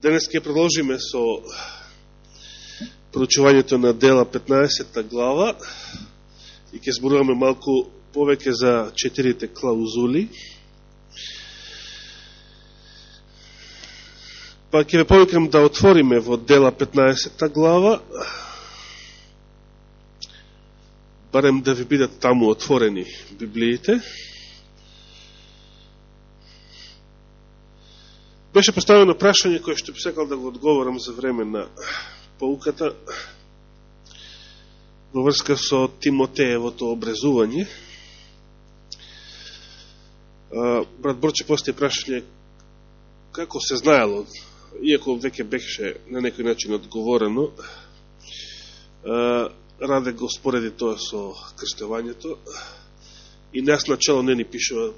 Денес ќе продолжиме со проучувањето на Дела 15 глава и ќе зборуваме малку повеќе за 4 клаузули. Па ќе ве повикам да отвориме во Дела 15 глава, барем да ви бидат таму отворени Библиите. Беше поставено прашање кое што би сакал да го одговорам за време на поуката во врска со Тимотеевото образување. Брат Борче постави прашање како се знаело, иако веќе беше на некој начин одговорено, Раде го спореди тоа со крстевањето и нас начало не ни пишува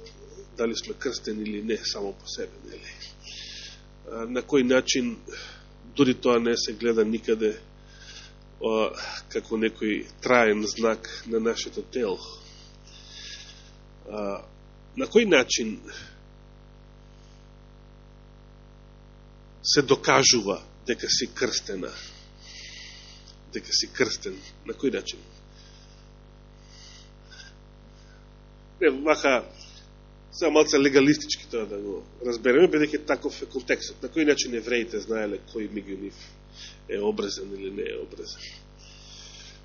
дали сме крстени или не само по себе, нели? На кој начин, дури тоа не се гледа никаде како некој траен знак на нашето тело. На кој начин се докажува дека си крстена, дека си крстен? На кој начин? Не, вака, сега малце легалистички тоа да го разбереме, бидејќи таков е контекстот. На кој начин евреите знаеле кој меѓу нив е обрезан или не е обрезан.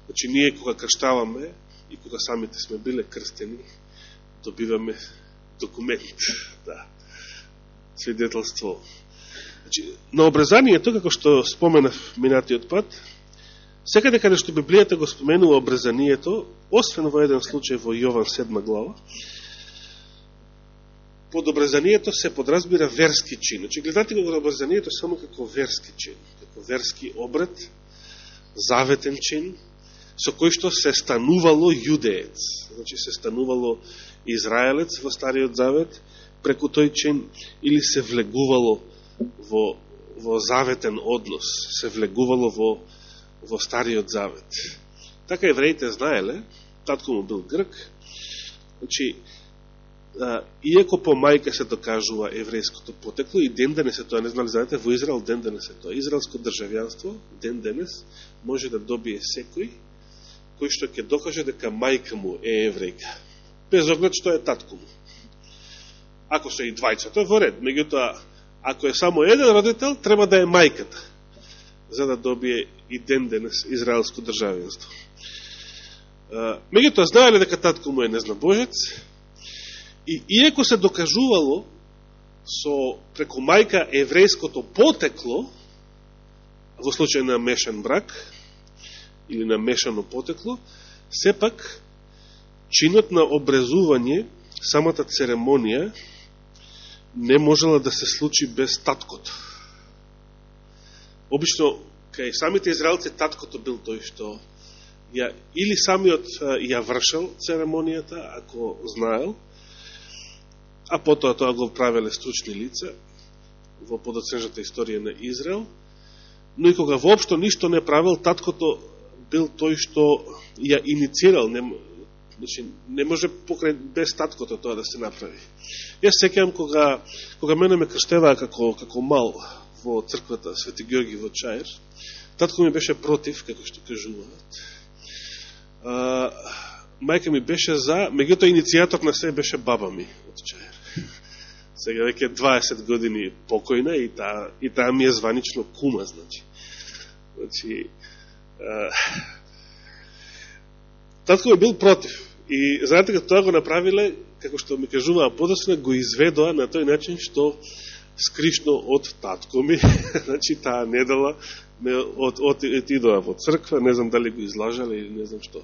Значи, ние кога крштаваме и кога самите сме биле крстени, добиваме документ, да, свидетелство. Значи, на обрезанието, како што споменав минатиот пат, секаде каде што Библијата го споменува обрезанието, освен во еден случај во Јован 7 глава, под обрезанието се подразбира верски чин. Значи, гледате го обрезанието само како верски чин, како верски обред, заветен чин, со кој што се станувало јудеец. Значи, се станувало израелец во Стариот Завет преку тој чин, или се влегувало во заветен однос, се влегувало во Стариот Завет. Така евреите знаеле, татко му бил грк, значи, иако по мајка се докажува еврејското потекло, и ден денес е тоа, не знали, знаете, во Израел ден денес е тоа. Израелско државјанство ден денес може да добие секој кој што ќе докаже дека мајка му е еврејка, без оглед што е татко му. Ако се и двајцата, во ред. Меѓутоа, ако е само еден родител, треба да е мајката, за да добие и ден денес израелско државјанство. Меѓутоа, знаеле дека татко му е незнабожец, и иако се докажувало преку мајка еврејското потекло, во случај на мешан брак, или на мешано потекло, сепак, чинот на обрезување, самата церемонија, не можела да се случи без таткото. Обично, кај самите израелци, таткото бил тој што или самиот ја вршал церемонијата, ако знаел, а потоа тоа го правеле стручни лица во подоцнежната историја на Израел, но и кога воопшто ништо не правил, таткото бил тој што ја иницирал, не може без таткото тоа да се направи. Јас сеќавам кога мене ме крштеваа како мал во црквата Свети Георги во Чаир, татко ми беше против, како што кажуваат. Мајка ми беше за, меѓутоа иницијатор на се беше баба ми од Чаир. Сега веќе 20 години покојна и таа ми е званично кума, значи. Татко ми бил против. И знаете како тоа го направиле, како што ми кажуваа подоцна, го изведоа на тој начин што скришно од татко ми, значи таа недела отидоа во црква, не знам дали го излажале или не знам што.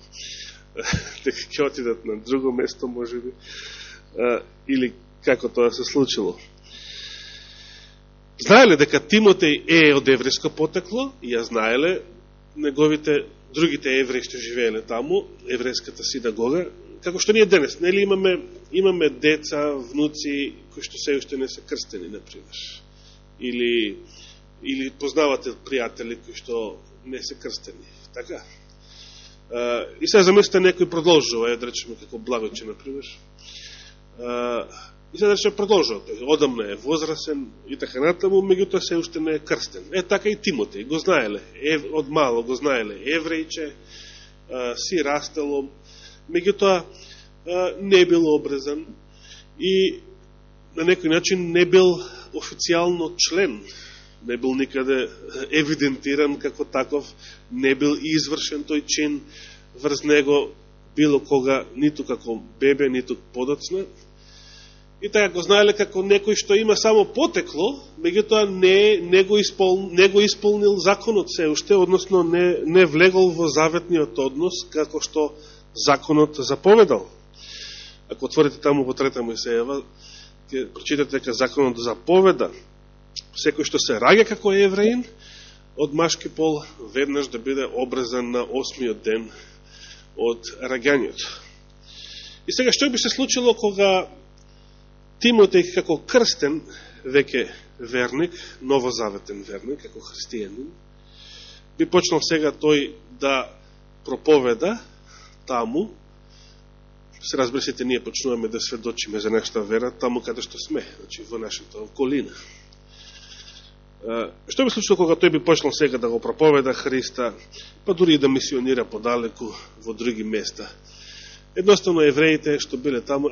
Дека ќе отидат на друго место, може би, или како тоа се случило. Знаеле дека Тимотеј е од еврејско потекло, и ја знаеле другите евреи што живееле таму, еврејската синагога, како што ние денес, нели имаме деца, внуци, кои што се уште не се крстени, например. Или познавате пријатели кои што не се крстени. Така? И сега замислите некој продолжува, да речеме како Благојче, например. И се рече продолжува, одамна е возрасен и така натаму, меѓутоа се уште не е крстен. Така и Тимотеј, го знаеле, од мало го знаеле еврејче, си растело, меѓутоа не бил обрезан и на некој начин не бил официјално член, не бил никаде евидентиран како таков, не бил извршен тој чин врз него било кога, ниту како бебе, ниту подоцна. И така го знаеле како некој што има само потекло, меѓутоа не го исполнил законот се уште, односно не влегол во заветниот однос како што законот заповедал. Ако отворите таму во 3 Мојсеева, ќе прочитате дека законот заповеда секој што се раѓа како евреин од машки пол веднаш да биде обрезан на 8-миот ден од раѓањето. И сега што би се случило кога Тимотеј како крстен веќе верник, новозаветен верник, како христијанин, би почнал сега тој да проповеда таму. Се разбира, сите ние почнуваме да сведочиме за нашата вера таму каде што сме, значи во нашата околина. Што би случило кога тој би почнал сега да го проповеда Христа, па дури и да мисионира подалеку во други места? Едноставно евреите што биле таму,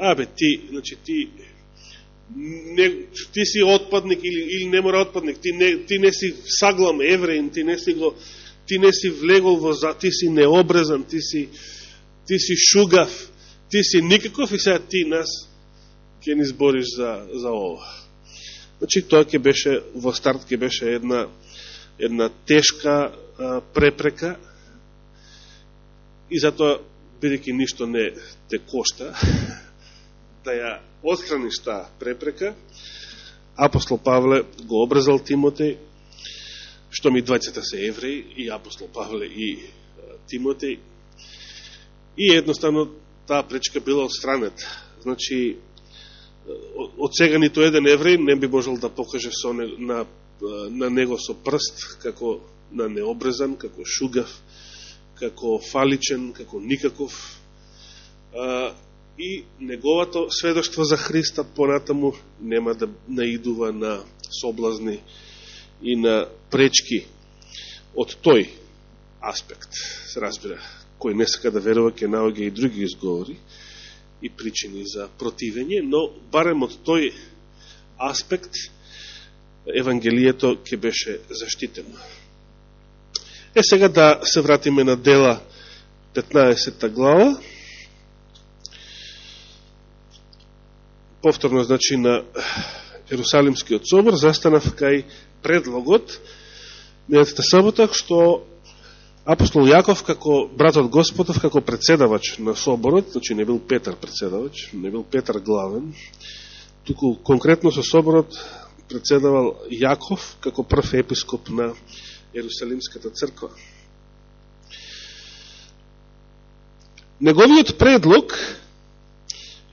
ти си отпадник или не мора отпадник, ти не си саглам евреин, ти не си влегол во ти си необрезан, ти си шугав, ти си никаков и сега ти нас ќе ни збориш за ова. Значи тоа ќе беше во старт ќе беше една тешка препрека и затоа бидејќи ништо не те кошта да ја отстраниш таа препрека, апостол Павле го обрезал Тимотеј, што ми двајцата се евреи, и апостол Павле и Тимотеј, и едноставно таа пречка била отстранета. Значи, од сега нито еден евреј не би можел да покаже на него со прст, како на необрезан, како шугав, како фаличен, како никаков. И неговото сведоштво за Христа понатаму нема да наидува на соблазни и на пречки од тој аспект. Се разбира, кој не сака да верува, ќе наоѓа и други изговори и причини за противење, но барем од тој аспект Евангелието ќе беше заштитено. Сега да се вратиме на Дела 15 глава. Повторно, значи, на Ерусалимскиот собор, застанав кај предлогот минатата сабота, што апостол Јаков, како братот Господов, како председавач на соборот, значи не бил Петар председавач, не бил Петар главен, туку конкретно со соборот председавал Јаков, како прв епископ на Ерусалимската црква. Неговиот предлог,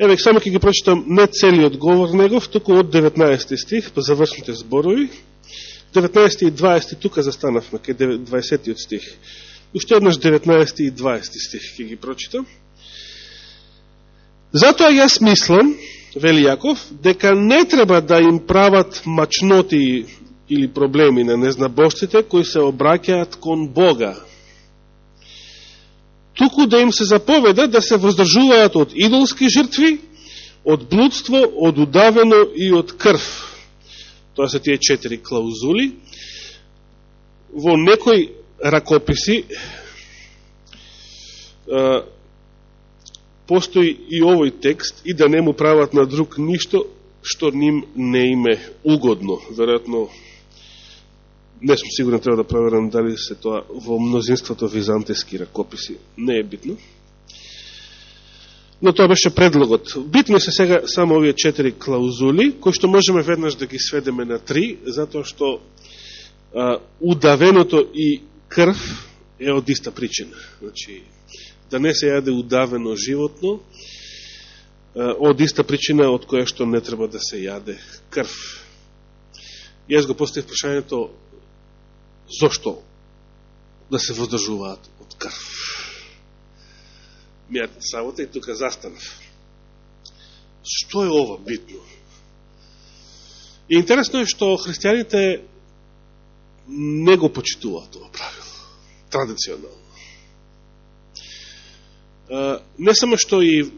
еве само ќе ги прочитам не целиот говор негов, туку од 19 стих, по завршните зборови, 19 и 20, тука застанавме, кај 20 стих. Уште еднаш 19 и 20 стих ќе ги прочитам. Затоа јас мислам, вели Јаков, дека не треба да им прават мачноти или проблеми на незнабожците кои се обраќаат кон Бога. Туку да им се заповеда да се воздржуваат од идолски жртви, од блудство, од удавено и од крв. Тоа се тие 4 клаузули. Во некои ракописи постои и овој текст, и да не му прават на друг ништо што ним не име угодно. Веројатно, не сум сигурен, треба да проверам дали се тоа во мнозинството византијски ракописи. Не е битно. Но тоа беше предлогот. Битно се сега само овие 4 клаузули, кои што можеме веднаш да ги сведеме на 3, затоа што удавеното и крв е од иста причина. Значи, да не се јаде удавено животно, од иста причина од која што не треба да се јаде крв. Јас го поставив прашањето, зошто да се воздржуваат од крв? Мијата сабота и тука застанав. Што е ова битно? И интересно е што христијаните не го почитуваат това правило, традиционално. Не само што и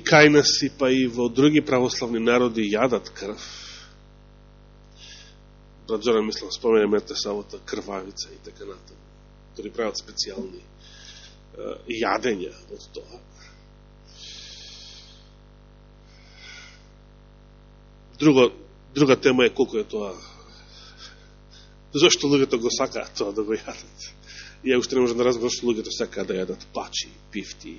кај нас, па и во други православни народи јадат крв. Брат Зоран, мислам, споменаме самота крвавица и така натаму. Дори прават специјални јадења од тоа. Друга тема е колко е тоа. Зошто луѓето го сакаат тоа да го јадат? И ја уште не можам да разберам што луѓето сакаат да јадат пачи, пифти,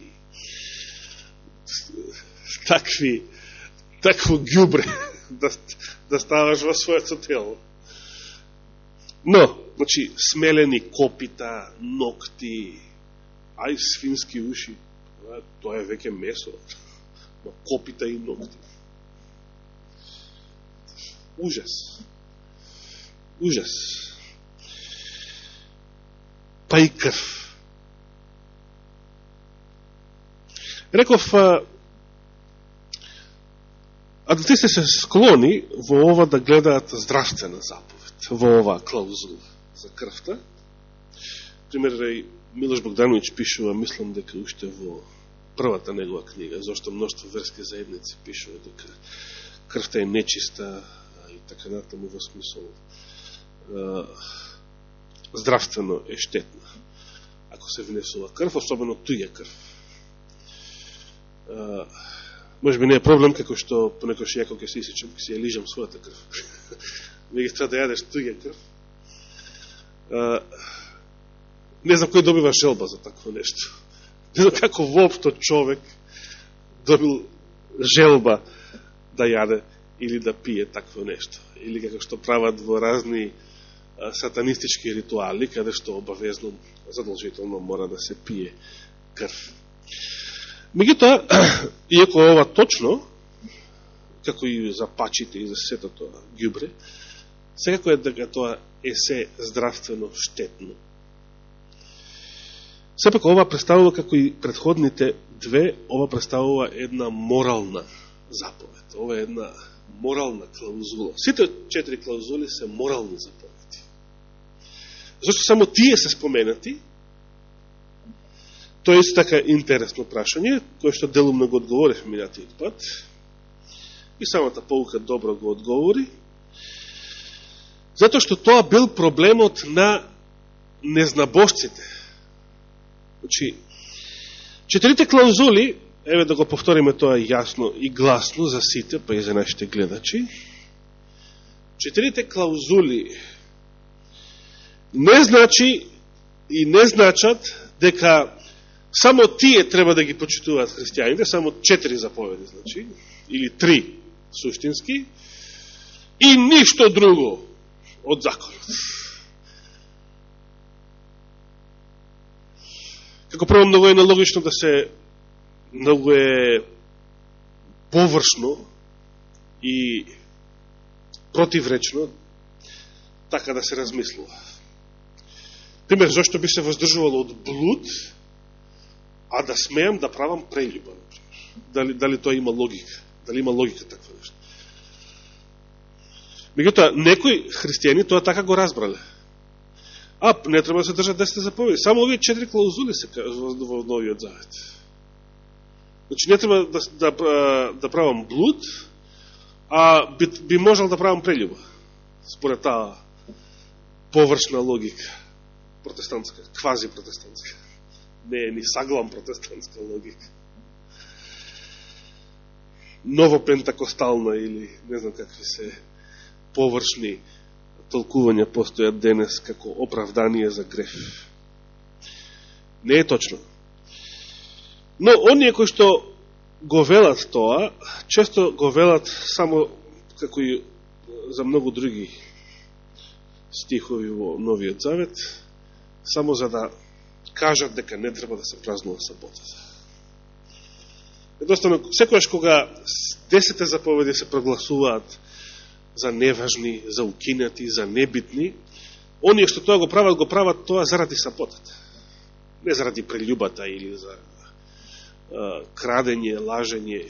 такво ѓубре да ставаш во своето тело. Но, значи, смелени копита, ногти, ај свински уши, тоа е веќе месо, копита и ногти. Ужас. Ужас. Па и крв. Реков, адвентистите се склони во ова да гледаат здравствена заповед, во оваа клаузула за крвта. Пример, Милош Богдановиќ пишува, мислам дека уште во првата негова книга, зашто мноштво верски заедници пишува дека крвта е нечиста и така натаму во смисол здравствено е штетна ако се внесува крв, особено туѓа крв. Може би не е проблем како што понекош ја кога се исичам, ќе се ја лижам својата крв. Веќе треба да јадеш туѓа крв. Не знам кој добива желба за такво нешто. Не знам како воопшто човек добил желба да јаде или да пие такво нешто. Или како што прават во разни сатанистички ритуали, каде што обавезно, задолжително мора да се пие крв. Меѓутоа, иако ова точно, како и за пачите и за сето тоа ѓубре, секако е дека тоа е се здравствено штетно. Сепак ова представува, како и предходните две, ова представува една морална заповед. Ова е една морална клаузула. Сите 4 клаузули се морални заповеди. Зашто само тие се споменати, тоа е исто така интересно прашање, кое што делумно го одговорив минатиот пат, и самата поука добро го одговори, затоа што тоа бил проблемот на незнабожците. Значи, 4 клаузули, еве да го повториме тоа јасно и гласно за сите, па и за нашите гледачи, 4 клаузули не значи и не значат дека само тие треба да ги почитуваат христијаните, само 4 заповеди, значи, или 3 суштински, и ништо друго од законот. Како прво, многу е нелогично да се, многу е површно и противречно така да се размислува. Пример, зашто би се воздржувало од блуд, а да смеам да правам прелюба. Дали тоа има логика? Дали има логика таква нешто? Меѓутоа, некои христијани тоа така го разбрале. Не треба да се држат 10 заповеди. Само овие 4 клаузули се во Новиот Завет. Значи, не треба да правам блуд, а би можел да правам прелюба. Според таа површна логика. Протестантска, квази протестантска. Не е ни саглам протестантска логика. Новопентакостална или не знам какви се површни толкувања постојат денес како оправдание за греф. Не е точно. Но оние кои што го велат тоа, често го велат само како и за многу други стихови во Новиот Завет, само за да кажат дека не треба да се празнува саботата. Едноставно, секојаш кога 10 заповеди се прогласуваат за неважни, за укинати, за небитни, оние што тоа го прават тоа заради саботата. Не заради прелюбата или за крадење, лажење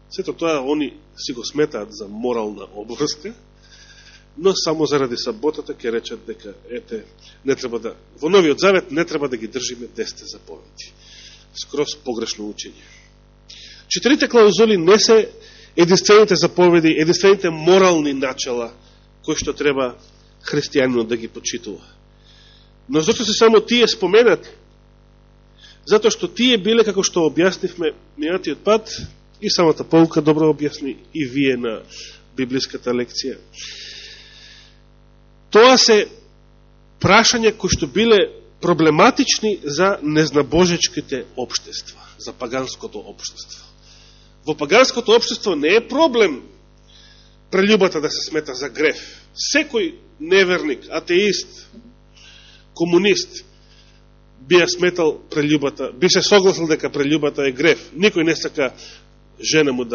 Сето тоа они си го сметаат за морална обврска, но само заради саботата ќе речат дека не треба да во Новиот Завет не треба да ги држиме 10 заповеди. Скроз погрешно учење. 4 клаузули не се единствените заповеди, единствените морални начала кои што треба христијанинот да ги почитува. Но зашто се само тие споменати? Затоа што тие биле, како што објаснивме минатиот пат, и самата полка добро објасни и вие на библиската лекција. Тоа се прашања кои што биле проблематични за незнабожечките општества, за паганското општество. Во паганското општество не е проблем прелюбата да се смета за греф. Секој неверник, атеист, комунист би ја сметал прелюбата, би се согласил дека прелюбата е греф. Никој не сака жена му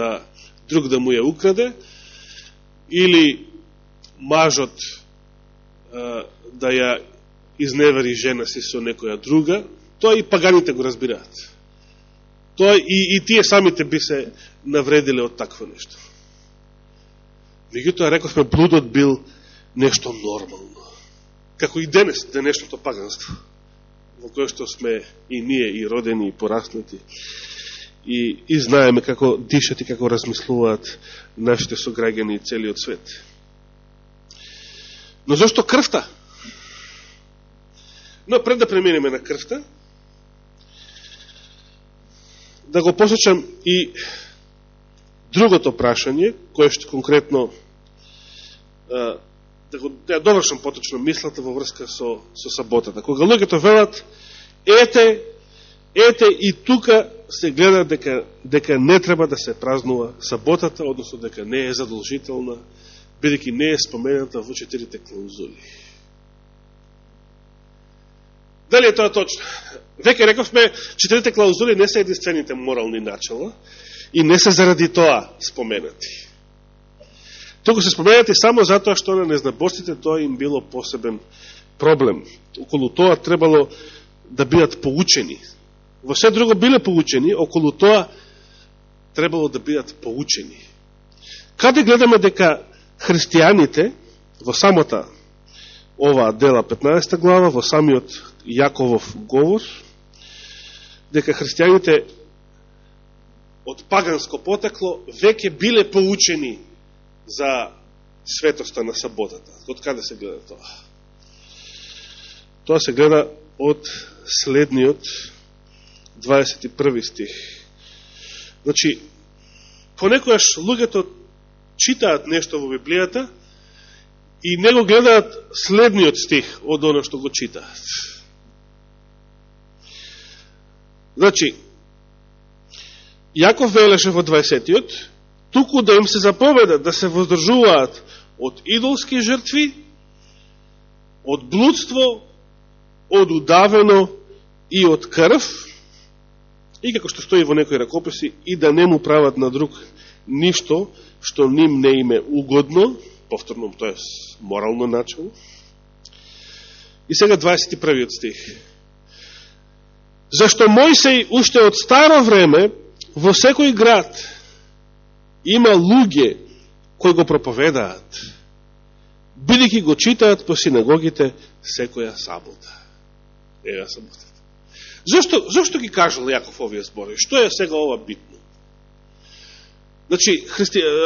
друг да му ја украде, или мажот да ја изневери жена си со некоја друга. Тоа и паганите го разбираат. Тоа и тие самите би се навредиле од такво нешто. Меѓутоа, рековме, блудот бил нешто нормално. Како и денешното паганство, во кое што сме и ние, и родени, и пораснати, и знаеме како дишат и како размислуваат нашите сограѓани и целиот свет. Но зашто крвта? Но пред да преминеме на крвта, да го посечам и другото прашање, кое што конкретно да довршам поточно мислата во врска со саботата. Кога луѓето велат, ете и тука се гледа дека не треба да се празнува саботата, односно дека не е задолжителна, бидејќи не е спомената во 4 клаузули. Дали е тоа точно? Веќе рековме, 4 клаузули не се единствените морални начала и не се заради тоа споменати. Туку се споменати само затоа што на незнабожците тоа им било посебен проблем. Околу тоа требало да бидат поучени. Во се друго биле поучени, околу тоа требало да бидат поучени. Каде гледаме дека христијаните во самата оваа дела 15 глава, во самиот Јаковов говор, дека христијаните од паганско потекло веќе биле поучени за светоста на саботата. Од каде се гледа тоа? Тоа се гледа од следниот 21 стих. Значи, понекојаш луѓето читаат нешто во Библијата и не го гледаат следниот стих од оно што го читаат. Значи, Јаков велеше во 20-тиот, туку да им се заповеда да се воздржуваат од идолски жртви, од блудство, од удавено и од крв, и како што стои во некои ракописи, и да не му прават на друг ништо што ним не име угодно, повторно, тоа е морално начало. И сега 21 стих. Зашто Мојсей уште од старо време во секој град има луѓе кои го проповедаат, бидејќи го читаат по синагогите секоја сабота. Ева саботата. Зошто ги кажал Јаков овие зборови? Што е сега ова битно? Значи,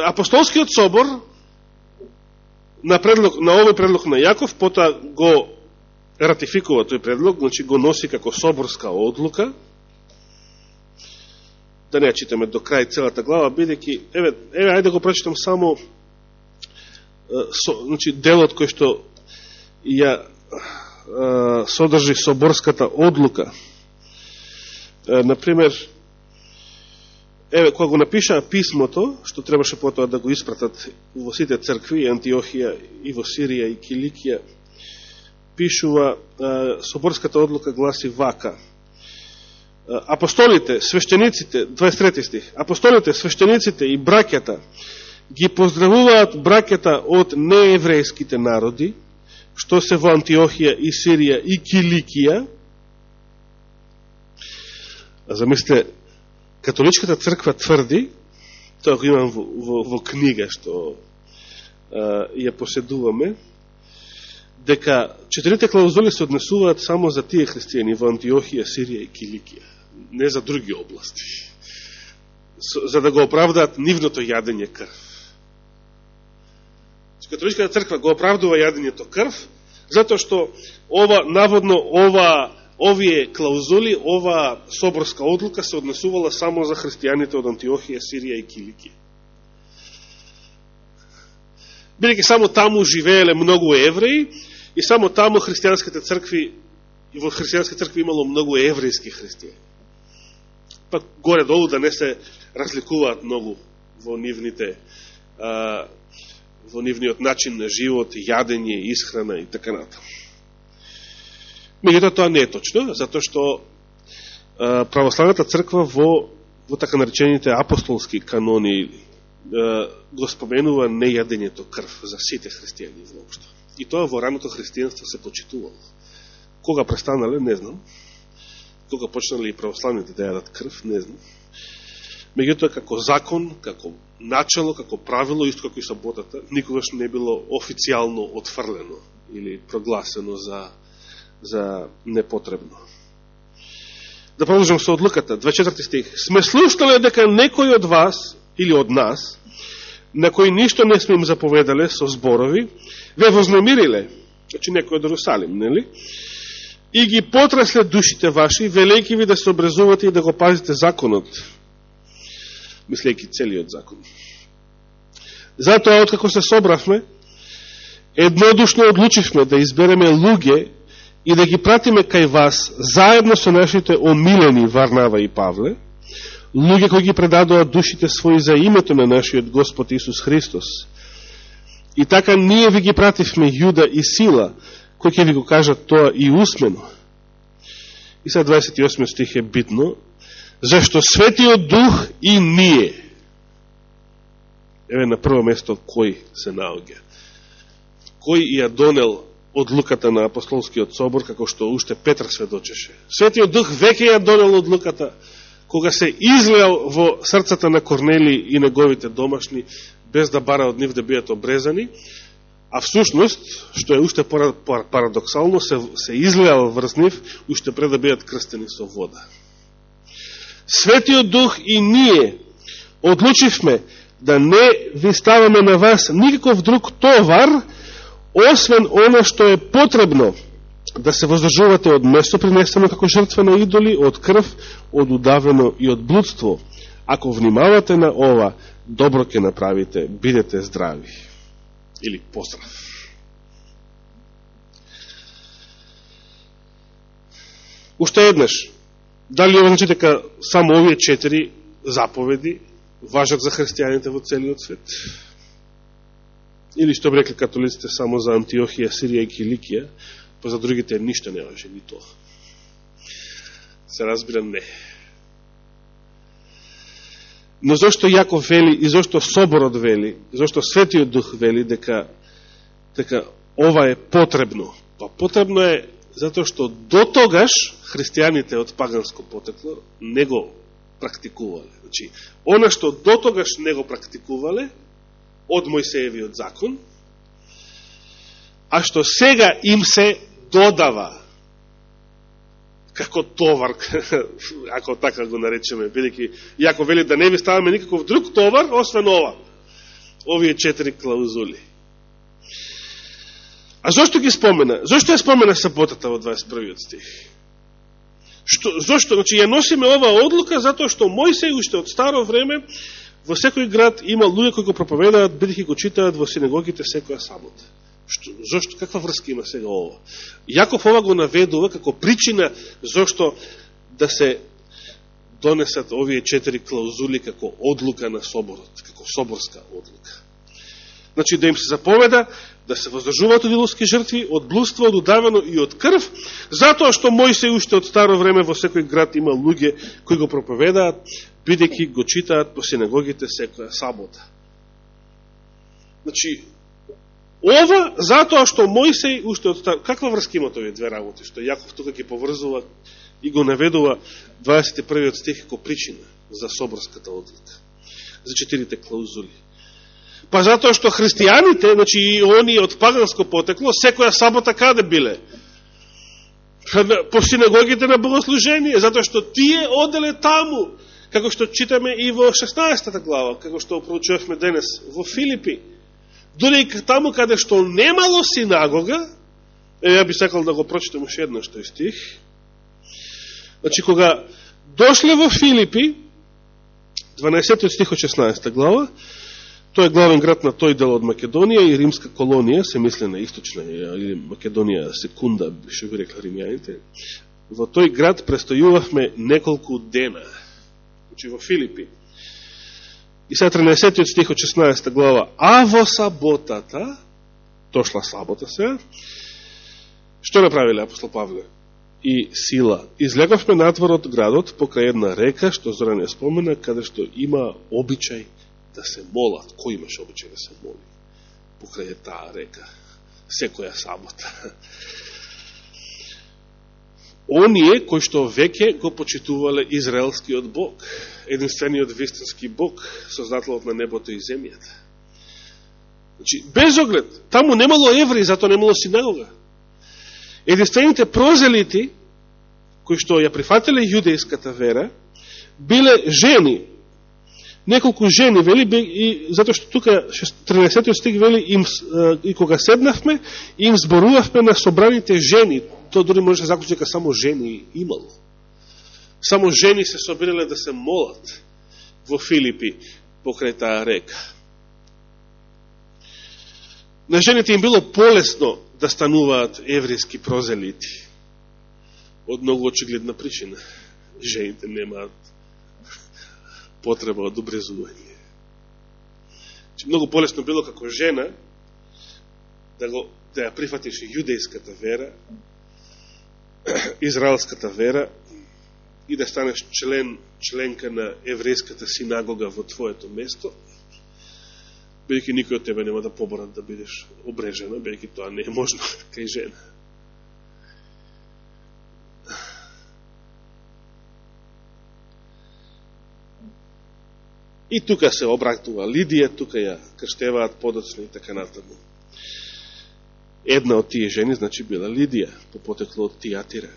апостолскиот собор на овој предлог на Јаков, потоа го ратификува тој предлог, значи го носи како соборска одлука. Да не ја читаме до крај целата глава, бидејќи, ајде да го прочитам само значи, делот кој што ја содржи соборската одлука. Например, кога го напишаа писмото, што требаше потоа да го испратат во сите цркви, Антиохија и во Сирија и Киликија, пишува, соборската одлука гласи вака. Апостолите, свештениците, 23 стих, апостолите, свештениците и браќата ги поздравуваат браќата од нееврејските народи, што се во Антиохија и Сирија и Киликија. Замислите, католичката црква тврди, тоа го имам во книга што ја поседуваме, дека 4 клаузули се однесуваат само за тие христијани во Антиохија, Сирија и Киликија, не за други области, за да го оправдаат нивното јадење крв. Католичката црква го оправдува јадењето крв, затоа што овие клаузули, ова соборска одлука се однесувала само за христијаните од Антиохија, Сирија и Киликија. Бидејќи само таму живееле многу евреи и само таму христијанските цркви, и во христијанските цркви имало многу еврејски христијани. Па горе-долу да не се разликуваат многу во нивниот начин на живот, јадење, исхрана и така натаму. Меѓутоа тоа не е точно, затоа што православната црква во така наречените апостолски канони го споменува нејадењето крв за сите христијани воопшто. И тоа во раното христијанство се почитувало. Кога престанале, не знам. Кога почнале и православните да јадат крв, не знам. Меѓутоа, како закон, како начало, како правило, исто како и саботата, никогаш не било официјално отфрлено или прогласено за непотребно. Да продолжам со одлуката, 24 стих. Сме слушнале дека некој од вас, или од нас, на кој ништо не сме им заповедале со зборови, ве вознемириле, значи некој од Ерусалим, нели? И ги потресле душите ваши, велејки ви да се образувате и да го пазите законот, мислејќи целиот закон. Затоа, откако се собравме, еднодушно одлучивме да избереме луѓе и да ги пратиме кај вас, заедно со нашите омилени Варнава и Павле, луѓе кои ги предадоа душите своји за името на нашиот Господ Исус Христос. И така ние ви ги пративме Јуда и Сила, кои ќе ви го кажат тоа и усмено. И сега 28 стих е битно, зашто Светиот Дух и ние, еве на прво место кој се наоѓа, кој ја донел одлуката на апостолскиот собор, како што уште Петар сведочеше. Светиот Дух веќе ја донел одлуката, кога се излеал во срцата на Корнели и неговите домашни, без да бара од нив да бидат обрезани, а всушност, што е уште парадоксално, се излеал врз нив, уште пред да бидат крстени со вода. Светиот Дух и ние одлучивме да не ви ставаме на вас никаков друг товар, освен оно што е потребно, да се воздржувате од место принесено како жртва на идоли, од крв, од удавено и од блудство. Ако внимавате на ова, добро ќе направите, бидете здрави. Или поздрав. Уште еднаш, дали ова значи дека само овие 4 заповеди важат за христијаните во целиот свет? Или што би рекли католиците само за Антиохија, Сирија и Киликија, па за другите ништо не важи, ни тоа. Се разбира, не. Но зашто Јаков вели и зашто Соборот вели, зашто Светиот Дух вели дека ова е потребно? Па потребно е затоа што до тогаш христијаните од паганско потекло не го практикувале. Значи, она што до тогаш не го практикувале од Мојсеевиот закон, а што сега им се додава како товар, ако така го наречеме, бидејќи Јаков вели да не ви ставаме никаков друг товар, освен ова, овие 4 клаузули. А зошто ги спомена? Зошто ја спомена саботата во 21 стих? Зошто? Значи, ја носиме ова одлука затоа што Мојсей уште од старо време во секој град има луѓе кои го проповедаат, бидејќи го читаат во синагогите секоја сабота. Зошто? Каква врска има сега ова? Јаков ова го наведува како причина зошто да се донесат овие 4 клаузули како одлука на соборот, како соборска одлука. Значи, да им се заповеда да се воздржуваат од идолски жртви, од блудство, од удавено и од крв, затоа што Мојсей уште од старо време во секој град има луѓе кои го проповедаат, бидејќи го читаат по синагогите секоја сабота. Значи, ова затоа што Мојсей уште од старо... Каква врска имат овие две работи? Што Јаков тука ги поврзува и го наведува 21 стих како причина за соборската одлука. за 4 клаузули? Па затоа што христијаните, значи и они од паганско потекло, секоја сабота каде биле? По синагогите на богослужение, затоа што тие оделе таму, како што читаме и во 16 глава, како што проучувавме денес во Филипи. Дори и таму каде што немало синагога, ја би сакал да го прочитам уште еднаш тој стих. Значи, кога дошле во Филипи, 12 стих од 16 глава, тој е главен град на тој дел од Македонија и римска колонија, се мисли на источна, или Македонија секунда, што би рекла римјаните. Во тој град престојувавме неколку дена. Значи, во Филипи. И сега 13 стих од 16 глава. А во саботата, дошла сабота сега, што направиле апостол Павле и Сила? Излеговме надвор од градот покрај една река, што Зоран ја спомена, каде што има обичај да се молат. Кој имаш обичај да се моли? Покрај таа река. Секоја сабота. Оние кои што веќе го почитувале израелскиот Бог, единствениот вистински Бог, создателот на небото и земјата. Значи, без оглед, таму немало евреи, затоа немало синагога. Единствените прозелити, кои што ја прифатиле јудејската вера, биле жени. Неколку жени, вели, и затоа што тука 13 стих вели, и кога седнавме, им зборувавме на собраните жени. Тоа дори може да заклучи дека само жени имало. Само жени се собирале да се молат во Филипи покрај таа река. На жените им било полесно да стануваат еврејски прозелити. Од многу очигледна причина. Жените немаат потреба од обрезување. Многу полесно било како жена да ја прифатиш јудејската вера, израелската вера и да станеш членка на еврејската синагога во твоето место, бидејќи никој од тебе нема да поборат да бидеш обрежена, бидејќи тоа не е можно кај жена. И тука се обратува Лидија, тука ја крштеваат подоцна и така натаму. Една од тие жени, значи, била Лидија, по потекло од Тијатира.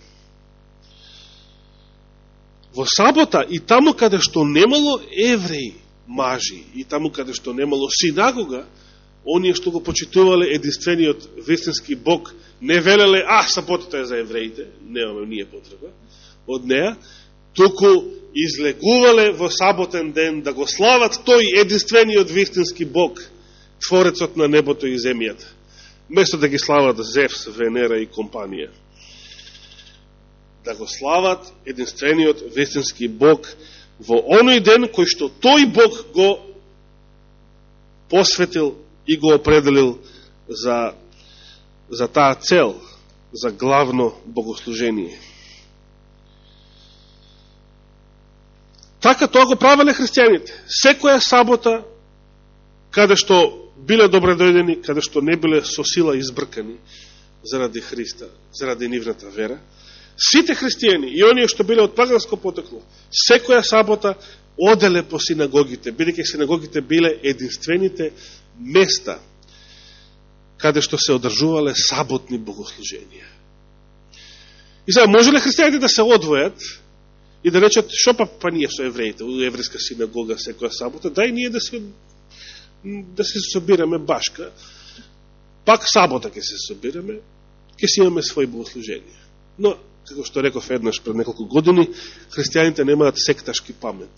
Во сабота и таму каде што немало евреи, мажи, и таму каде што немало синагога, оние што го почитувале единствениот вистински Бог, не велеле, саботата е за евреите, немаме ние потреба од неа, туку излегувале во саботен ден да го слават тој единствениот вистински Бог, Творецот на небото и земјата, место да ги слават Зевс, Венера и компанија. Да го слават единствениот вистински Бог во оној ден кој што тој Бог го посветил и го определил за таа цел, за главно богослужение. Така тоа го правеле христијаните. Секоја сабота, каде што биле добредојдени, каде што не биле со сила избркани заради Христа, заради нивната вера, сите христијани и оние што биле од паганско потекло, секоја сабота оделе по синагогите, бидејќи синагогите биле единствените места каде што се одржувале саботни богослуженија. И сега, може ли христијаните да се одвојат и да речат, шо па ние со евреите, у еврејска синагога секоја сабота, дај ние да се собираме башка, пак сабота ќе се собираме, ќе си имаме своји богослуженија. Но, како што реков еднаш пред неколку години, христијаните немаат секташки памет,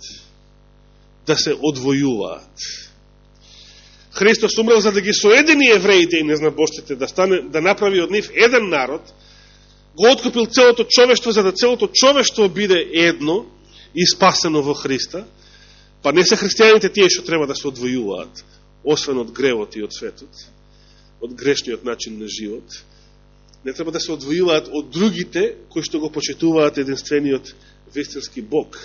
да се одвојуваат. Христос умрел за да ги соедини евреите и незнабожците, да направи од нив еден народ, го откупил целото човештво, за да целото човештво биде едно и спасено во Христа, па не се христијаните тие што треба да се одвојуваат, освен од гревот и од светот, од грешниот начин на живот. Не треба да се одвојуваат од другите кои што го почитуваат единствениот вистински Бог.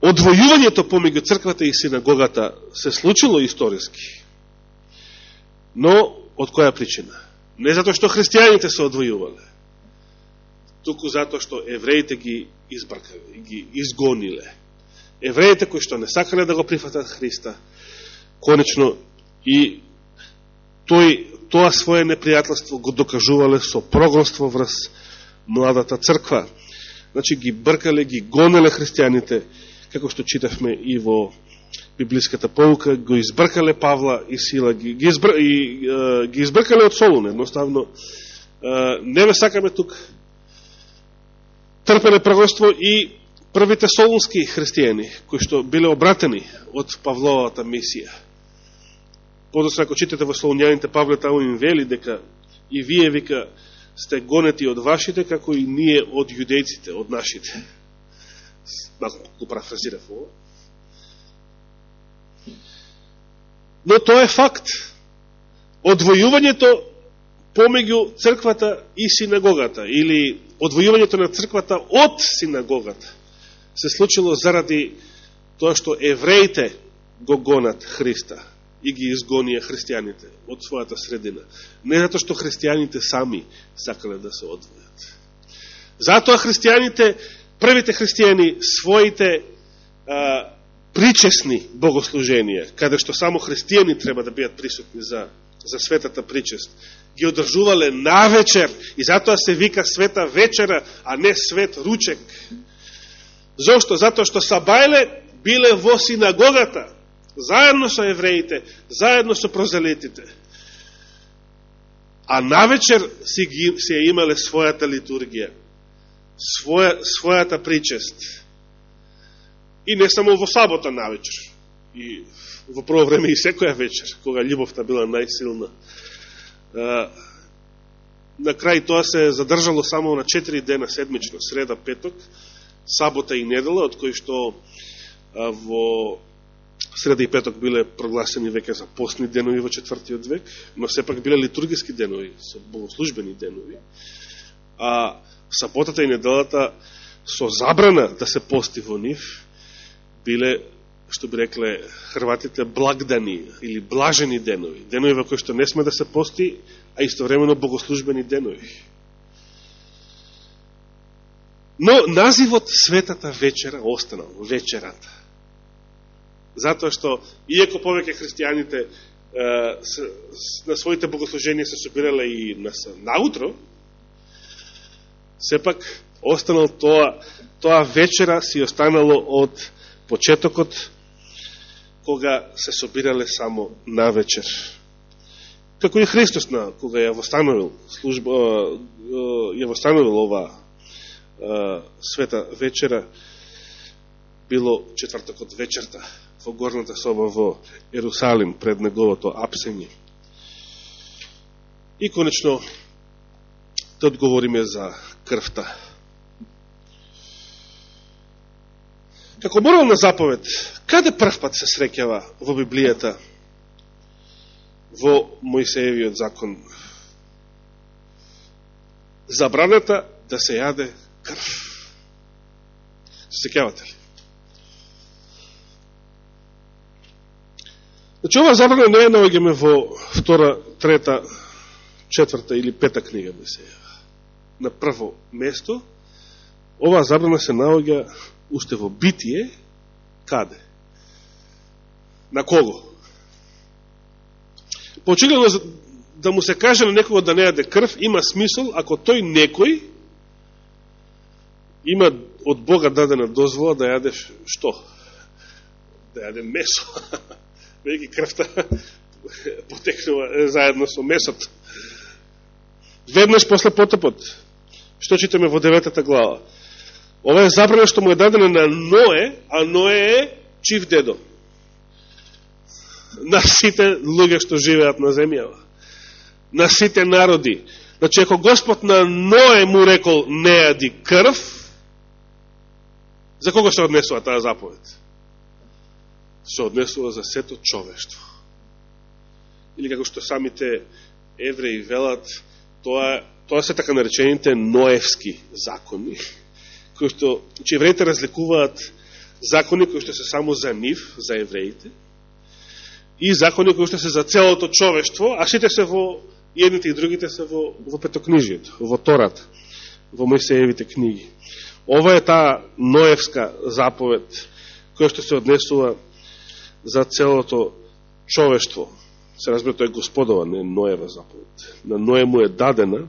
Одвојувањето помеѓу црквата и синагогата се случило историски. Но од која причина? Не затоа што христијаните се одвојувале, туку затоа што евреите ги избркале, ги изгониле. евреите кои што не сакале да го прифатат Христа, конечно и тоа свое непријателство го докажувале со прогонство врз младата црква. Значи ги бркале, ги гонеле христијаните, како што читавме и во библиската pouка, го избркале Павла и Сила, ги избркале од Солун, едноставно. Не ве сакаме тук. Трпеле прогонство и првите солунски христијани, кои што биле обратени од Павловата мисија. Подоцна, ако читате во Солунјаните, Павле таму им вели дека и вие, вика, сте гонети од вашите, како и ние од јудејците, од нашите. Малко го парафразирав ово. Но тоа е факт. Одвојувањето помеѓу црквата и синагогата, или одвојувањето на црквата од синагогата, се случило заради тоа што евреите го гонат Христа и ги изгонија христијаните од својата средина. Не затоа што христијаните сами сакале да се одвојат. Затоа христијаните, првите христијани, своите причесни богослуженија, каде што само христијани треба да бидат присутни за светата причест, ги одржувале навечер, и затоа се вика света вечера, а не свет ручек. Зошто? Затоа што сабајле биле во синагогата, заедно со евреите, заедно со прозелетите. А навечер се имале својата литургија, својата причест. И не само во сабота навечер, и во прво време и секоја вечер, кога љубовта била најсилна. На крај тоа се задржало само на 4 дена седмично, среда, петок, сабота и недела, од кои што во среда и петок биле прогласени веќе за постни денови во 4. век, но сепак биле литургиски денови, со богослужбени денови, а саботата и неделата со забрана да се пости во нив, биле, што би рекле хрватите, благдани или блажени денови, денови во кои што не сме да се пости, а истовремено богослужбени денови. Но називот светата вечера останал, вечерата. Затоа што, иако повеќе христијаните на своите богослуженија се собирале и наутро, сепак останал тоа вечера си останало од почетокот, кога се собирале само на вечер. Како и Христос, кога ја восстановил ова света вечера, било четвртокот вечерта, во горната соба во Ерусалим, пред неговото апсење. И конечно, да одговориме за крвта. Како морална заповед, каде прв пат се среќава во Библијата, во Мојсеевиот закон? Забраната да се јаде крв. Се сеќавате ли? Значи, ова забрана не е наоѓаме во 2, 3, 4 или 5 книга Мојсеева. На прво место, ова забрана се наоѓа уште во Битие, каде? На кого? Почигледно да му се каже на некого да не јаде крв, има смисол ако тој некој има од Бога дадена дозвола да јаде што? Да јаде месо. Веќе крвта потекнува заедно со месото. Веднаш после потопот, што читаме во 9 глава? Ова е забрана што му е дадена на Ное, а Ное е чив дедо на сите луѓе што живеат на земјава, на сите народи. Значи, ако Господ на Ное му рекол не јади крв, за кого се однесува таа заповед? Се однесува за сето човештво. Или како што самите евреи велат, тоа се така наречените Ноевски закони, кои што евреите разликуваат закони кои што се само за нив, за евреите, и закони кои што се за целото човештво, а сите се во едните и другите се во петокнижието, во Тората, во Мојсеевите книги. Ова е таа Ноевска заповед, која што се однесува за целото човештво. Се разбира, тој е Господова, не Ноева заповед. На Ное му е дадена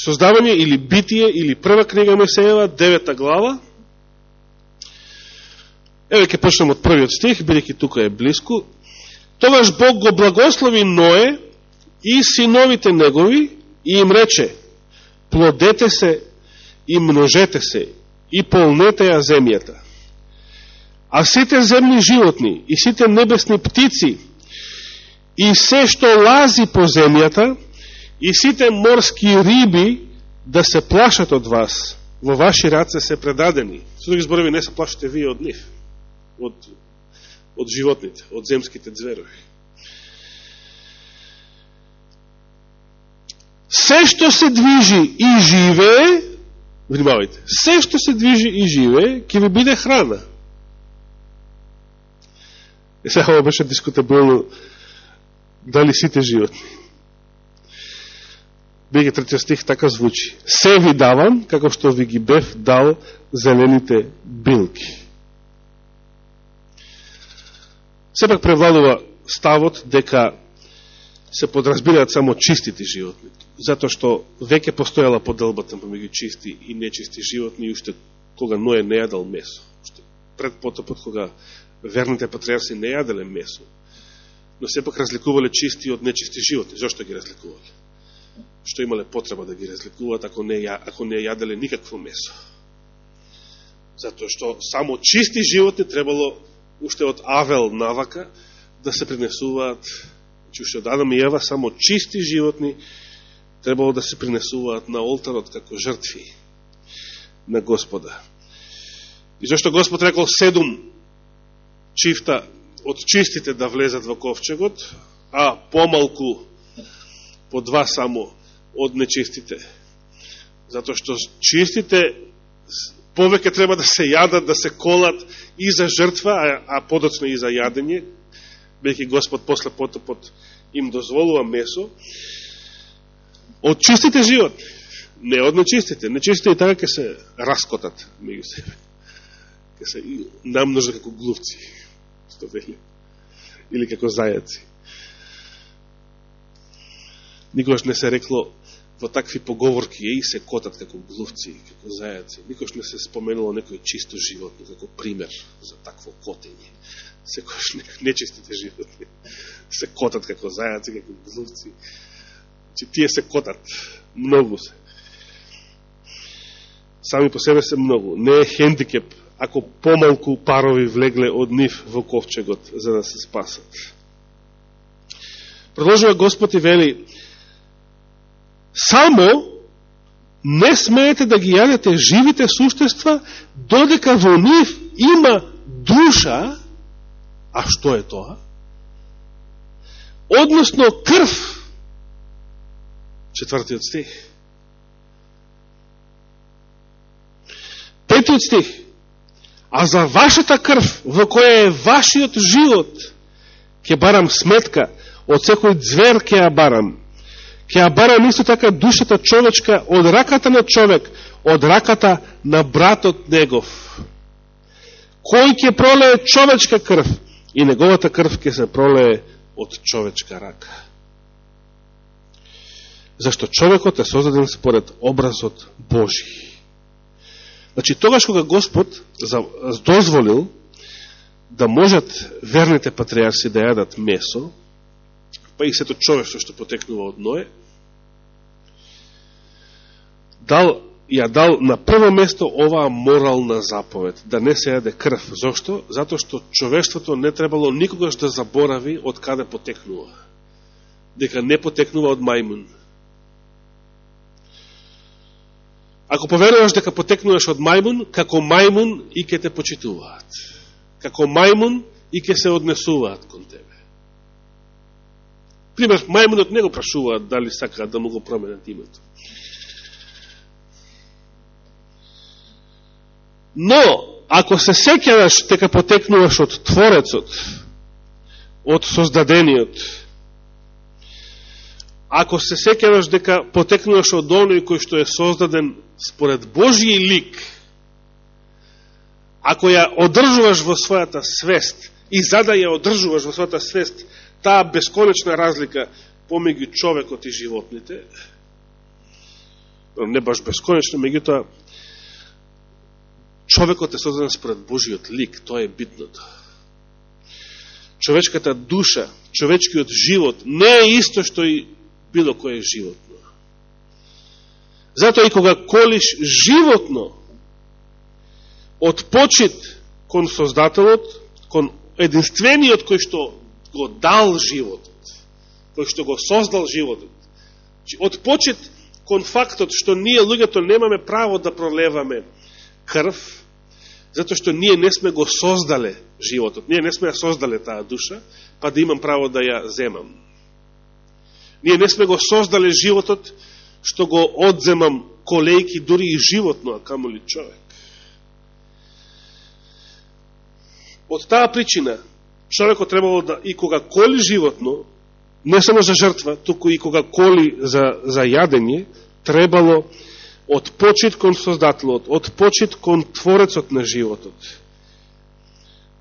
Создавање или Битие или прва книга Мојсеева, 9 глава. Еве ќе почнем од првиот стих, бидејќи тука е блиску. Тогаш Бог го благослови Ное и синовите негови и им рече: плодете се и множете се и полнете ја земјата. А сите земни животни и сите небесни птици и се што лази по земјата и сите морски риби да се плашат од вас, во ваши раце се предадени. Со други зборови, не се плашите вие од нив, од животните, од земските зверови. Се што се движи и живее, внимавајте, се што се движи и живее, ќе ви биде храна. И сега ова беше дискутабилно дали сите животни. Беги третиот стих така звучи: се ви давам, како што ви ги бев дал зелените билки. Сепак превладува ставот дека се подразбираат само чистите животни, затоа што веќе постојала поделбата помеѓу чисти и нечисти животни, уште кога Ное не јадал месо. Уште пред потопот, кога верните патриарси не јаделе месо, но сепак разликувале чисти од нечисти животни. Зошто ги разликувале? Што имале потреба да ги разликуваат ако не јаделе никакво месо? Затоа што само чисти животни требало уште од Авел навака да се принесуваат, уште од Адам и Ева, само чисти животни требало да се принесуваат на олтарот како жртви на Господа. И зашто Господ рекол 7 чифта од чистите да влезат во ковчегот, а помалку по 2 само од нечистите? Затоа што чистите повеќе треба да се јадат, да се колат и за жртва, а подоцна и за јадење, бејќи Господ после потопот им дозволува месо од чистите животни, не од нечистите. Нечистите и така ќе се раскотат меѓу себе, ќе се намножат како глувци, што вели, или како зајаци. Никогаш не се рекло во такви поговорки и се котат како глувци, како зајаци. Никогаш не се споменуло некој чисто животно како пример за такво котење. Секојаш нечистите животни се котат како зајаци, како глувци. Че тие се котат, многу се. Сами по себе се многу. Не е хендикеп ако помалку парови влегле од нив во ковчегот за да се спасат. Продолжува Господ и вели: само не смеете да ги јадете живите суштества, додека во нив има душа. А што е тоа? Односно крв. 4 стих. 5 стих. А за вашата крв, во која е вашиот живот, ќе барам сметка, од секој звер ќе ја барам. Ќе ја барам исто така душата човечка од раката на човек, од раката на братот негов. Кој ќе пролее човечка крв, и неговата крв ќе се пролее од човечка рака. Зашто човекот е создаден според образот Божи. Значи, тогаш кога Господ дозволил да можат верните патриарси да јадат месо, па и сето човештво што потекнува од Ное, ја дал на прво место оваа морална заповед, да не се јаде крв. Зошто? Затоа што човештвото не требало никогаш да заборави од каде потекнува. Дека не потекнува од мајмун. Ако поверуваш дека потекнуваш од мајмун, како мајмун и ќе те почитуваат. Како мајмун и ќе се однесуваат кон тебе. Пример, мајмунот не го прашуваат дали сакаат да му го променат името. Но, ако се сеќаваш дека потекнуваш од Творецот, од Создадениот, ако се сеќаваш дека потекнуваш од оној кој што е создаден според Божји лик, ако ја одржуваш во својата свест, и за да ја одржуваш во својата свест, таа бесконечна разлика помеѓу човекот и животните, не баш бесконечно, меѓутоа, човекот е создаден според Божиот лик, тоа е битното. Човечката душа, човечкиот живот не е исто што и било кое животно. Затоа и кога колиш животно од почит кон Создателот, кон единствениот кој што го дал животот, кој што го создал животот, од почит кон фактот што ние луѓето немаме право да пролеваме крв, затоа што ние не сме го создале животот, ние не сме ја создале таа душа, па да имам право да ја земам. Ние не сме го создале животот, што го одземам колејки дури и животно, а камоли човек. Од таа причина, човекот требало да, и кога коли животно, не само за жртва, туку и кога коли за јадење, требало од почит кон Создателот, од почит кон Творецот на животот,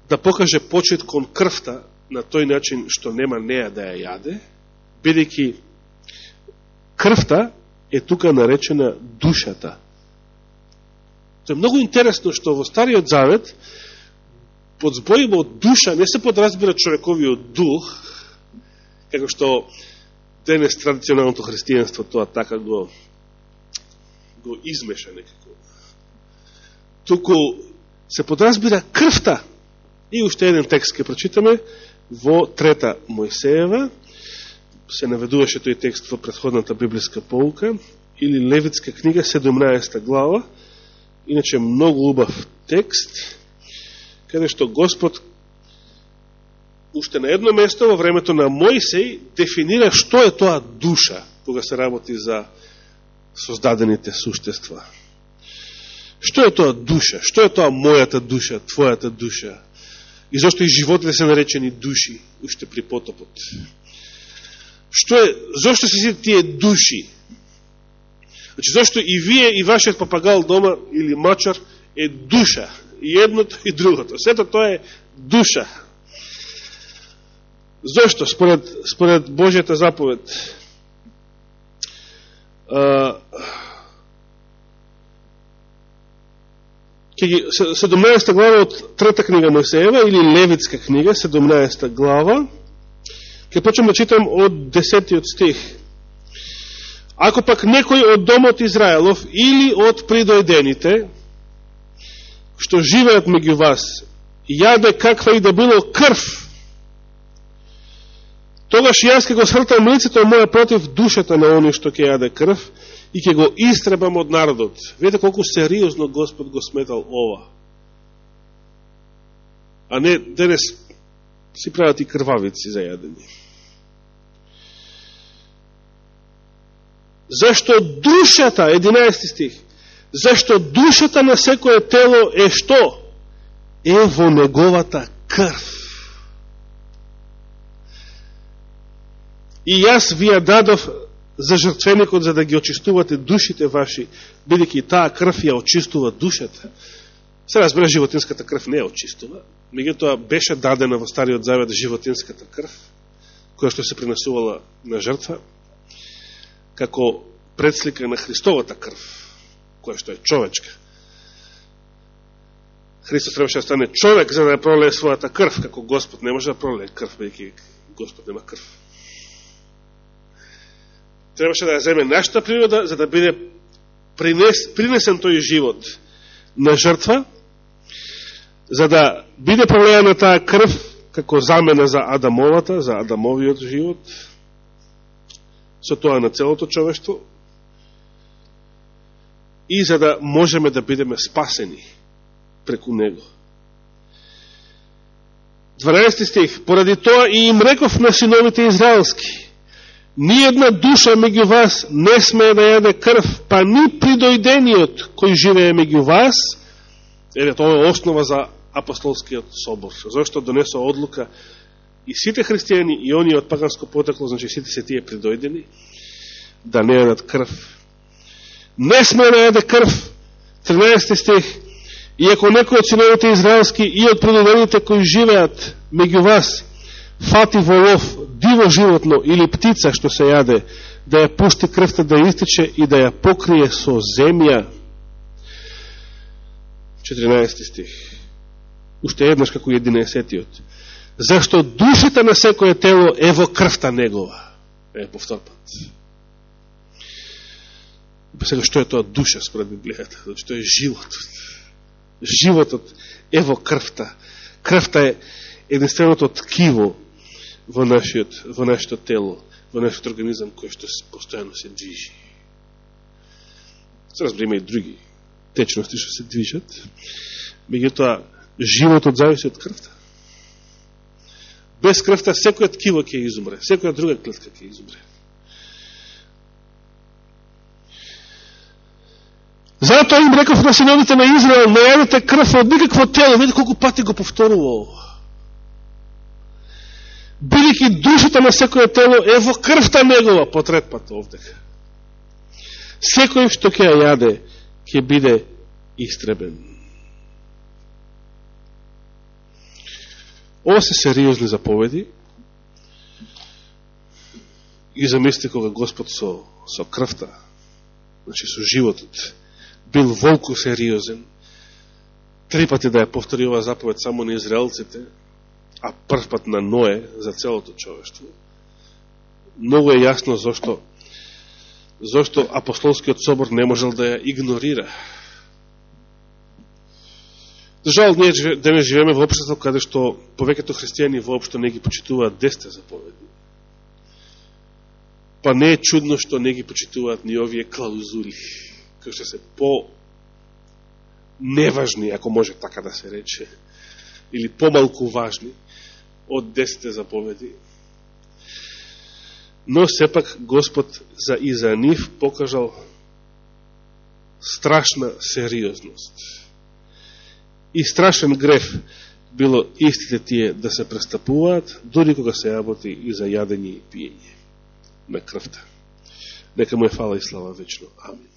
да покаже почит кон крвта на тој начин што нема неа да ја јаде, бидејќи крвта е тука наречена душата. Тоа е многу интересно што во Стариот Завет под зборима од душа не се подразбира човековиот дух, како што денес традиционалното христијанство тоа така го измеша некако. Туку се подразбира крвта. И уште еден текст ке прочитаме во 3 Мојсеева, се наведуваше тој текст во претходната библиска поука, или Левитска книга, 17 глава, иначе многу убав текст, каде што Господ уште на едно место во времето на Мојсей дефинира што е тоа душа, кога се работи за создадените суштества. Што е тоа душа? Што е тоа мојата душа, твојата душа? И зашто и животите се наречени души, уште при потопот? Зашто се сите тие души? Значи, зашто и вие, и вашиот папагал дома, или мачар, е душа. И едното, и другото. Сето тоа е душа. Зошто? Според Божјата заповед. 17 глава од 3 книга Мојсеева, или Левитска книга, 17 глава, ќе почнем да читам од 10 стих. Ако пак некој од домот Израелов или од придојдените, што живеат меѓу вас, јаде каква и да било крв, тогаш јас ќе го сртам лицето моје против душата на оној што ќе јаде крв и ќе го истребам од народот. Видите колку сериозно Господ го сметал ова. А не денес си прават и крвавици за јадење. Зашто душата, 11 стих, зашто душата на секое тело е што? Е во неговата крв. И јас ви ја дадов за жртвеникот, за да ги очистувате душите ваши, бидејќи таа крв ја очистува душата. Се разбира, животинската крв не ја очистува, меѓутоа беше дадена во Стариот Завет животинската крв, која што се принесувала на жртва, како предслика на Христовата крв, која што е човечка. Христос требаше да стане човек за да ја пролее својата крв, како Господ не може да пролее крв, бидејќи Господ нема крв. Требаше да ја земе нашата природа, за да биде принесен тој живот на жртва, за да биде пролеена таа крв како замена за Адамовата, за Адамовиот живот, со тоа на целото човештво, и за да можеме да бидеме спасени преку него. 12 стих. Поради тоа и им реков на синовите израелски: ниједна душа меѓу вас не смее да јаде крв, па ни придојдениот кој живее меѓу вас. Тоа е основа за апостолскиот собор, зашто донесо одлука и сите христијани и оние од паганско потекло, значи сите се тие придојдени, да не јадат крв. Не смее да јаде крв. 13 стих. И ако некој од синовите израелски и од предадените кои живеат меѓу вас фати во лов диво животно или птица што се јаде, да ја пушти крвта да истече и да ја покрие со земја. 14 стих. Уште еднаш како 11-тиот. Зашто душата на секое тело е во крвта негова. Повтор пат. Па сега, што е тоа душа според Библијата? Значи, тоа е животот. Животот е во крвта. Крвта е единственото ткиво во нашето тело, во нашиот организам, кој што постојано се движи. Се разбереме и други течности што се движат. Меѓутоа, животот зависи од крвта. Без крвта секој ткиво ќе изумре, секоја друга клетка ќе изумре. Затоа им реков на синовите на Израел, не јадете крв од никакво тело. Видите колку пати го повторува ово. Бидејќи душата на секоја тело е во крвта негова, по трет пат овдека. Секој што ќе ја јаде, ќе биде истребен. Ова се сериозни заповеди. И замисли кога Господ со крвта, значи со животот, бил волку сериозен, 3 пати да ја повтори ова заповед само на израелците, а прв пат на Ное за целото човештво. Многу е јасно зашто апостолскиот собор не можел да ја игнорира. За жал, ние денес живееме во општество каде што повеќето христијани воопшто не ги почитуваат 10 заповеди. Па не е чудно што не ги почитуваат ни овие клаузули, кои што се по-неважни, ако може така да се рече, или помалку важни од 10 заповеди. Но сепак Господ и за нив покажал страшна сериозност. И страшен греф било истите тие да се престапуваат, дури кога се работи и за јадење и пиење на крвта. Нека му е фала и слава вечно. Амин.